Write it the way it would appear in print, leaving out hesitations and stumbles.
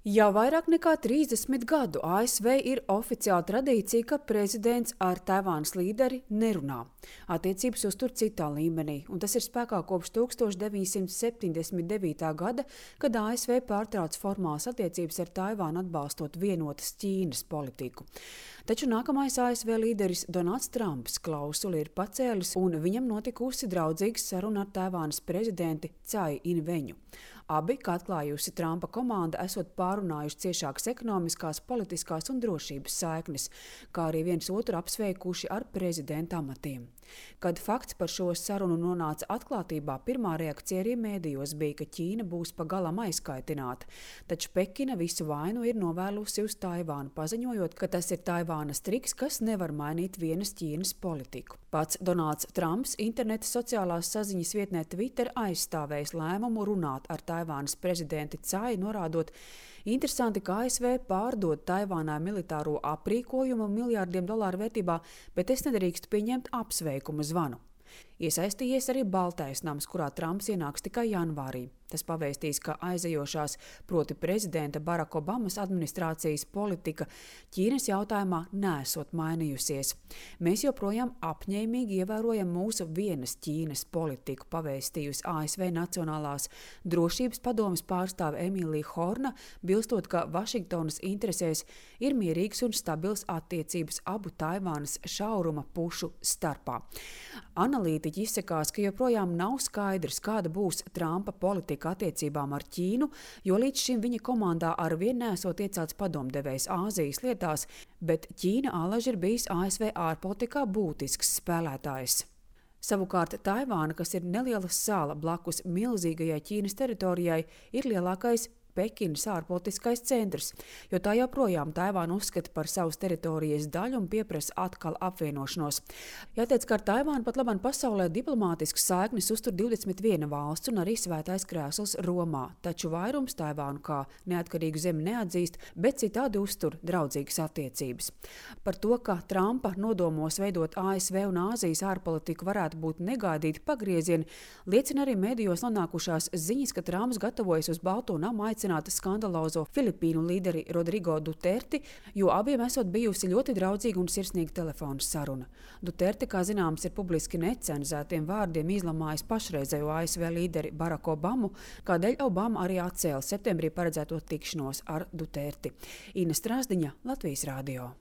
Jau vairāk nekā 30 gadu ASV ir oficiāla tradīcija, ka prezidents ar Taivānas līderi nerunā. Attiecības uztur citā līmenī, un tas ir spēkā kopš 1979. gada, kad ASV pārtrauc formālas attiecības ar Taivānu atbalstot vienotas Ķīnas politiku. Taču nākamais ASV līderis Donalds Trumps klausuli ir pacēlis, un viņam notikusi draudzīga saruna ar Taivānas prezidenti Cai Inveņu. Abi, kā atklājusi Trumpa komanda, esot pārunājuši ciešākas ekonomiskās, politiskās un drošības saiknes, kā arī viens otru apsveikuši ar prezidenta amatiem. Kad fakts par šo sarunu nonāca atklātībā, pirmā reakcija arī mēdījos bija, ka Ķīna būs pagalam aizkaitināta, taču Pekina visu vainu ir novēlusi uz Taivānu, paziņojot, ka tas ir Taivānas triks, kas nevar mainīt vienas Ķīnas politiku. Pats Donalds Trumps interneta sociālās saziņas vietnē Twitter aizstāvējis lēmumu runāt ar Taivānas prezidenti Cai, norādot: interesanti, ka ASV pārdod Taivānai militāro aprīkojumu miljārdiem dolāru vērtībā, bet es nedrīkstu pieņemt apsveikumu zvanu. Iesaistījies arī Baltais nams, kurā Trumps ienāks tikai janvārī. Tas pavēstīs, ka aizejošās, proti prezidenta Baraka Obamas administrācijas politika Ķīnas jautājumā nesot mainījusies. Mēs joprojām apņēmīgi ievērojam mūsu vienas Ķīnas politiku, pavēstījusi ASV Nacionālās drošības padomes pārstāve Emīlija Horna, bilstot, ka Vašingtonas interesēs ir mierīgas un stabils attiecības abu Taivānas šauruma pušu starpā. Analītiķi izsakās, ka joprojām nav skaidrs, kāda būs Trumpa politika attiecībām ar Ķīnu, jo līdz šim viņa komandā arvien nesot iecelts padomdevējs Āzijas lietās, bet Ķīna alaži ir bijis ASV ārpolitikā būtisks spēlētājs. Savukārt Taivāna, kas ir neliela sala blakus milzīgajai Ķīnas teritorijai, ir lielākais Pekinas ārpolitiskais centrs, jo tā joprojām Taivānu uzskata par savas teritorijas daļu un pieprasa atkal apvienošanos. Jāteic, ka ar Taivānu pat labāk pasaulē diplomātiskas saiknes uztur 21 valsts un arī svētais krēsls Romā, taču vairums Taivānu kā neatkarīgu zemi neatzīst, bet citādi uztur draudzīgas attiecības. Par to, ka Trumpa nodomos veidot ASV un Āzijas ārpolitiku varētu būt negaidīti pagriezieni, liecina arī medijos nonākušās ziņas, ka Trumps gatavojas uz Balto namu aicināt skandalozo Filipīnu līderi Rodrigo Duterti, jo abiem esot bijusi ļoti draudzīga un sirsnīga telefona saruna. Duterti, kā zināms, ir publiski necenzētiem vārdiem izlamājis pašreizējo ASV līderi Baraku Obamu, kādēļ Obama arī atcēla septembrī paredzēto tikšanos ar Duterti. Ina Strasdiņa, Latvijas radio.